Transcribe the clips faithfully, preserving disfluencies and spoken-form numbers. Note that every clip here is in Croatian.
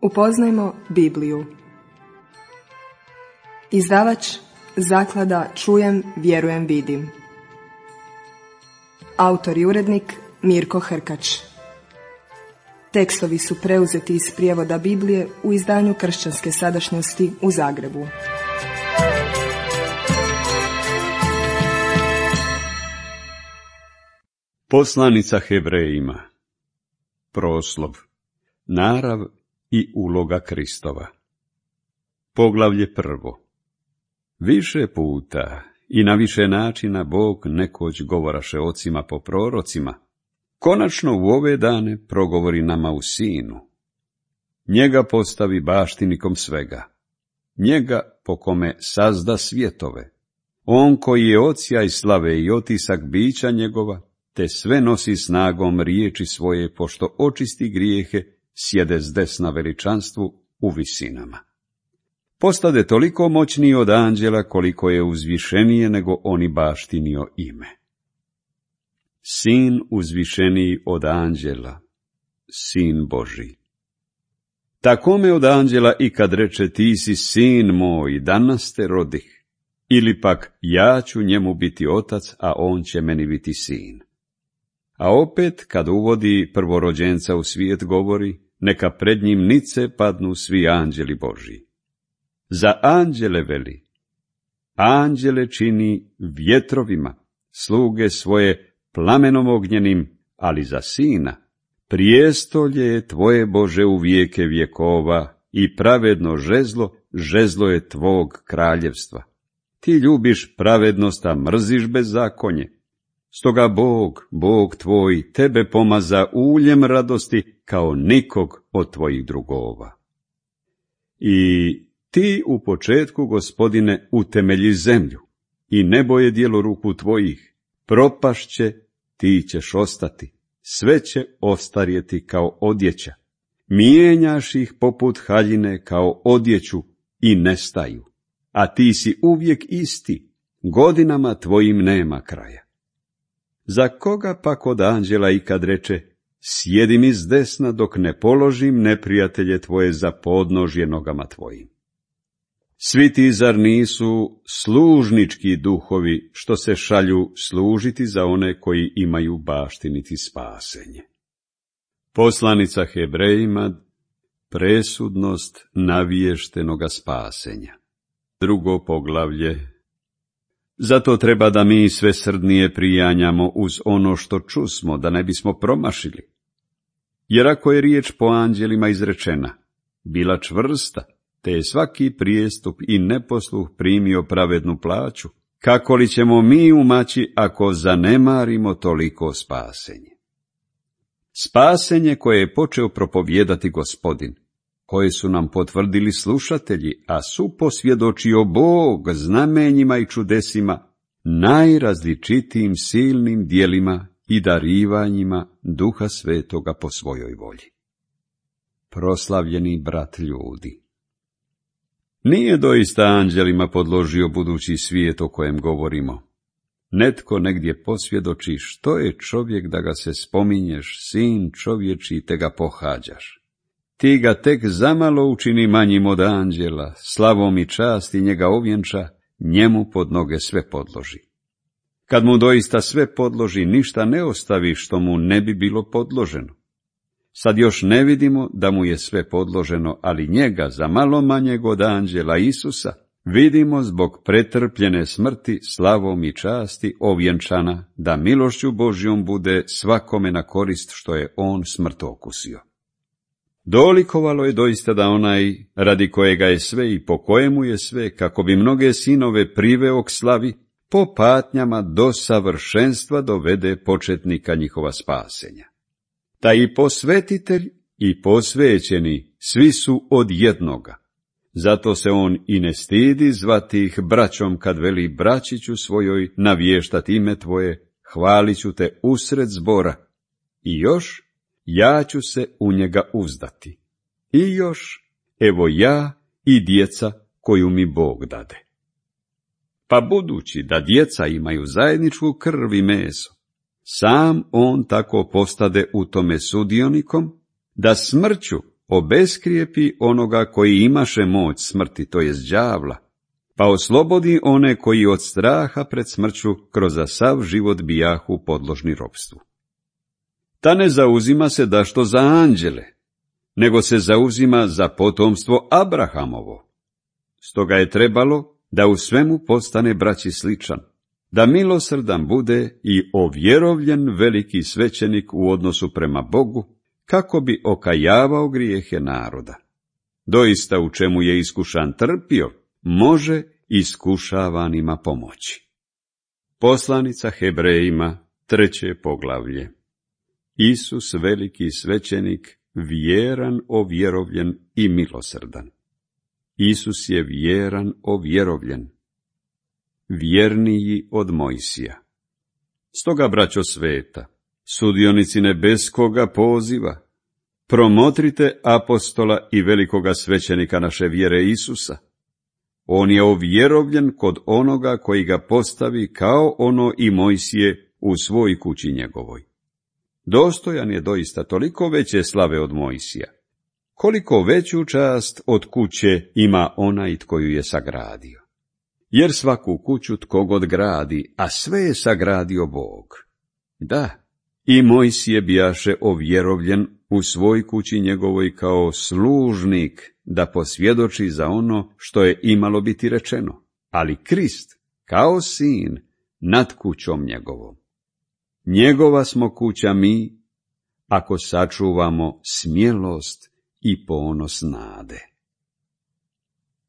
Upoznajmo Bibliju. Izdavač Zaklada Čujem, vjerujem, vidim. Autor i urednik Mirko Hrkač. Tekstovi su preuzeti iz prijevoda Biblije u izdanju Kršćanske sadašnjosti u Zagrebu. Poslanica Hebrejima. Proslov. Narav i uloga Kristova. Poglavlje prvo. Više puta i na više načina Bog nekoć govoraše ocima po prorocima, konačno u ove dane progovori nama u Sinu. Njega postavi baštinikom svega, njega po kome sazda svjetove, on koji je odsjaj slave i otisak bića njegova, te sve nosi snagom riječi svoje, pošto očisti grijehe, sjede s desna veličanstvu u visinama. Postade toliko moćniji od anđela, koliko je uzvišenije nego oni baštinio ime. Sin uzvišeniji od anđela, sin Božji. Takome od anđela i kad reče ti si sin moj, danas te rodih, ili pak ja ću njemu biti otac, a on će meni biti sin. A opet, kad uvodi prvorođenca u svijet, govori, neka pred njim nice padnu svi anđeli Božji. Za anđele veli, anđele čini vjetrovima, sluge svoje plamenom ognjenim, ali za sina, prijestolje je tvoje Bože u vijeke vjekova i pravedno žezlo, žezlo je tvog kraljevstva. Ti ljubiš pravednost, a mrziš bezakonje. Stoga Bog, Bog tvoj, tebe pomaza uljem radosti kao nikog od tvojih drugova. I ti u početku, Gospodine, utemelji zemlju, i nebo je djelo ruku tvojih, propašće, ti ćeš ostati, sve će ostarjeti kao odjeća, mijenjaš ih poput haljine kao odjeću i nestaju, a ti si uvijek isti, godinama tvojim nema kraja. Za koga pak od anđela i kad reče, sjedi mi s desna dok ne položim neprijatelje tvoje za podnožje nogama tvojim? Svi ti zar nisu služnički duhovi, što se šalju služiti za one koji imaju baštiniti spasenje? Poslanica Hebrejima, presudnost naviještenoga spasenja. Drugo poglavlje. Zato treba da mi sve srdnije prijanjamo uz ono što čusmo, da ne bismo promašili. Jer ako je riječ po anđelima izrečena, bila čvrsta, te je svaki prijestup i neposluh primio pravednu plaću, kako li ćemo mi umaći ako zanemarimo toliko spasenje? Spasenje koje je počeo propovijedati Gospodin, koje su nam potvrdili slušatelji, a su posvjedočio Bog znamenjima i čudesima, najrazličitijim silnim djelima i darivanjima Duha Svetoga po svojoj volji. Proslavljeni brat ljudi, nije doista anđelima podložio budući svijet o kojem govorimo. Netko negdje posvjedoči što je čovjek da ga se spominješ, sin čovječi te ga pohađaš. Ti ga tek zamalo učini manjim od anđela, slavom i časti njega ovjenča, njemu pod noge sve podloži. Kad mu doista sve podloži, ništa ne ostavi što mu ne bi bilo podloženo. Sad još ne vidimo da mu je sve podloženo, ali njega za malo manjeg od anđela Isusa vidimo zbog pretrpljene smrti, slavom i časti ovjenčana, da milošću Božjom bude svakome na korist što je on smrt okusio. Dolikovalo je doista da onaj, radi kojega je sve i po kojemu je sve, kako bi mnoge sinove priveo k slavi, po patnjama do savršenstva dovede početnika njihova spasenja. Ta i posvetitelj i posvećeni, svi su od jednoga. Zato se on i ne stidi zvati ih braćom, kad veli braćiću svojoj navještat ime tvoje, hvalit ću te usred zbora. I još, ja ću se u njega uzdati. I još, evo ja i djeca koju mi Bog dade. Pa budući da djeca imaju zajedničku krv i meso, sam on tako postade u tome sudionikom, da smrću obeskrijepi onoga koji imaše moć smrti, to jest đavla, pa oslobodi one koji od straha pred smrću kroz sav život bijahu podložni ropstvu. Ta ne zauzima se dašto za anđele, nego se zauzima za potomstvo Abrahamovo. Stoga je trebalo da u svemu postane braći sličan, da milosrdan bude i ovjerovljen veliki svećenik u odnosu prema Bogu, kako bi okajavao grijehe naroda. Doista u čemu je iskušan trpio, može iskušavanima pomoći. Poslanica Hebrejima, treće poglavlje. Isus veliki svećenik, vjeran, ovjerovljen i milosrdan. Isus je vjeran, ovjerovljen, vjerniji od Mojsija. Stoga, braćo sveta, sudionici nebeskoga poziva, promotrite apostola i velikoga svećenika naše vjere Isusa. On je ovjerovljen kod onoga koji ga postavi kao ono i Mojsije u svoj kući njegovoj. Dostojan je doista toliko veće slave od Mojsija, koliko veću čast od kuće ima onaj tko ju je sagradio. Jer svaku kuću tko god gradi, a sve je sagradio Bog. Da, i Mojsije bijaše ovjerovljen u svoj kući njegovoj kao služnik, da posvjedoči za ono što je imalo biti rečeno, ali Krist kao sin nad kućom njegovom. Njegova smo kuća mi, ako sačuvamo smjelost i ponos nade.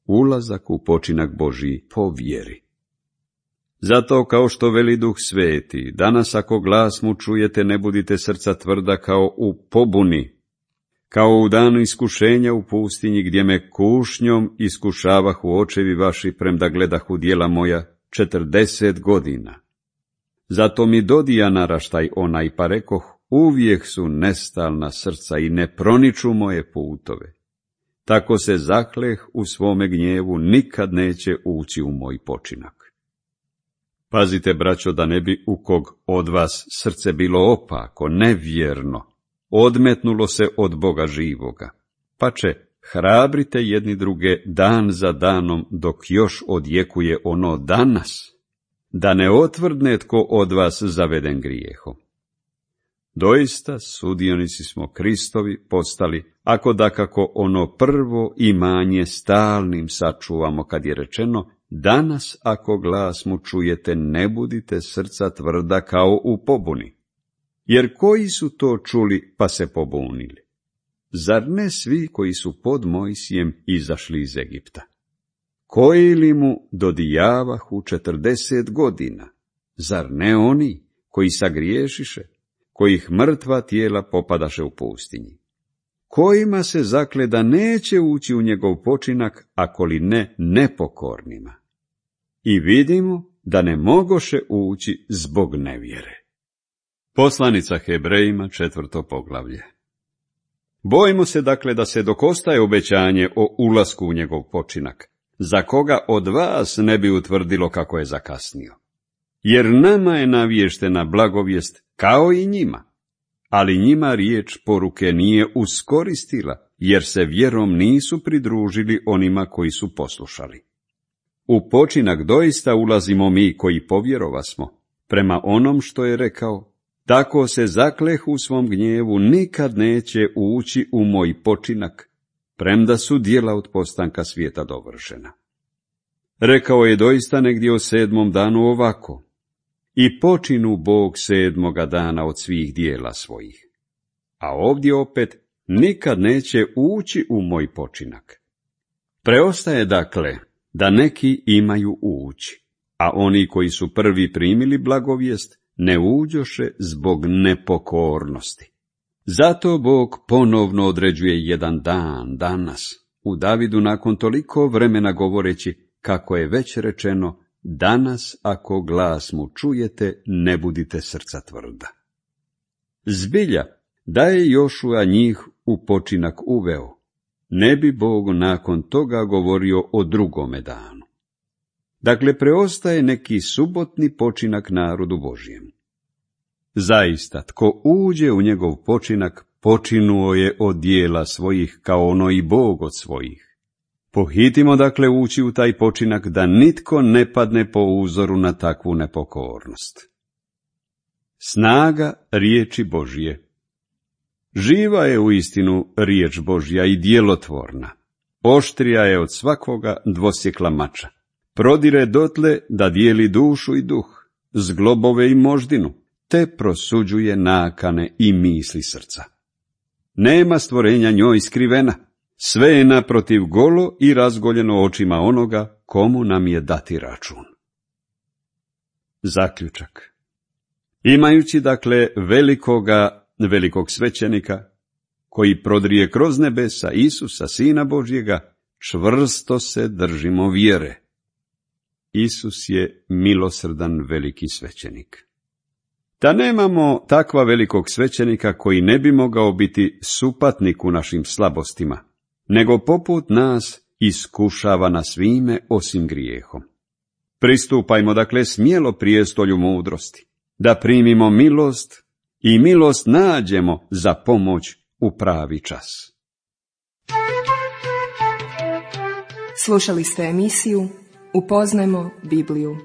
Ulazak u počinak Božji po vjeri. Zato, kao što veli Duh Sveti, danas ako glas mu čujete, ne budite srca tvrda kao u pobuni, kao u danu iskušenja u pustinji, gdje me kušnjom iskušavahu očevi vaši, premda gledahu djela moja četrdeset godina. Zato mi dodija naraštaj onaj, pa rekoh, uvijek su nestalna srca i ne proniču moje putove. Tako se zakleh u svome gnjevu, nikad neće ući u moj počinak. Pazite, braćo, da ne bi u kog od vas srce bilo opako, nevjerno, odmetnulo se od Boga živoga. Pače, hrabrite jedni druge dan za danom, dok još odjekuje ono danas, da ne otvrdne tko od vas zaveden grijehom. Doista, sudionici smo Kristovi postali, ako dakako ono prvo imanje stalnim sačuvamo, kad je rečeno, danas ako glas mu čujete, ne budite srca tvrda kao u pobuni. Jer koji su to čuli pa se pobunili? Zar ne svi koji su pod Mojsijem izašli iz Egipta? Koji li mu dodijavahu četrdeset godina? Zar ne oni koji sagriješiše, kojih mrtva tijela popadaše u pustinji? Kojima se zakle da neće ući u njegov počinak, ako li ne nepokornima? I vidimo da ne mogoše ući zbog nevjere. Poslanica Hebrejima, četvrto poglavlje. Bojimo se dakle da se dok ostaje obećanje o ulasku u njegov počinak, za koga od vas ne bi utvrdilo kako je zakasnio. Jer nama je navještena blagovijest kao i njima, ali njima riječ poruke nije uskoristila, jer se vjerom nisu pridružili onima koji su poslušali. U počinak doista ulazimo mi koji povjerovasmo, prema onom što je rekao, tako se zakleh u svom gnjevu, nikad neće ući u moj počinak, premda su djela od postanka svijeta dovršena. Rekao je doista negdje o sedmom danu ovako, i počinu Bog sedmoga dana od svih dijela svojih. A ovdje opet, nikad neće ući u moj počinak. Preostaje dakle da neki imaju ući, a oni koji su prvi primili blagovijest ne uđoše zbog nepokornosti. Zato Bog ponovno određuje jedan dan, danas, u Davidu nakon toliko vremena govoreći, kako je već rečeno, danas ako glas mu čujete, ne budite srca tvrda. Zbilja, da je Jošua njih u počinak uveo, ne bi Bog nakon toga govorio o drugome danu. Dakle, preostaje neki subotni počinak narodu Božjem. Zaista, tko uđe u njegov počinak, počinuo je od dijela svojih kao ono i Bog od svojih. Pohitimo dakle ući u taj počinak da nitko ne padne po uzoru na takvu nepokornost. Snaga riječi Božje. Živa je uistinu riječ Božja i djelotvorna. Oštrija je od svakoga dvosjekla mača. Prodire dotle da dijeli dušu i duh, zglobove i moždinu, te prosuđuje nakane i misli srca. Nema stvorenja njoj skrivena, sve je naprotiv golo i razgoljeno očima onoga komu nam je dati račun. Zaključak. Imajući dakle velikoga, velikog svećenika, koji prodrije kroz nebesa Isusa, Sina Božjega, čvrsto se držimo vjere. Isus je milosrdan veliki svećenik. Da nemamo takva velikog svećenika koji ne bi mogao biti supatnik u našim slabostima, nego poput nas iskušava na svime osim grijehom. Pristupajmo dakle smjelo prijestolju mudrosti, da primimo milost i milost nađemo za pomoć u pravi čas. Slušali ste emisiju Upoznajmo Bibliju.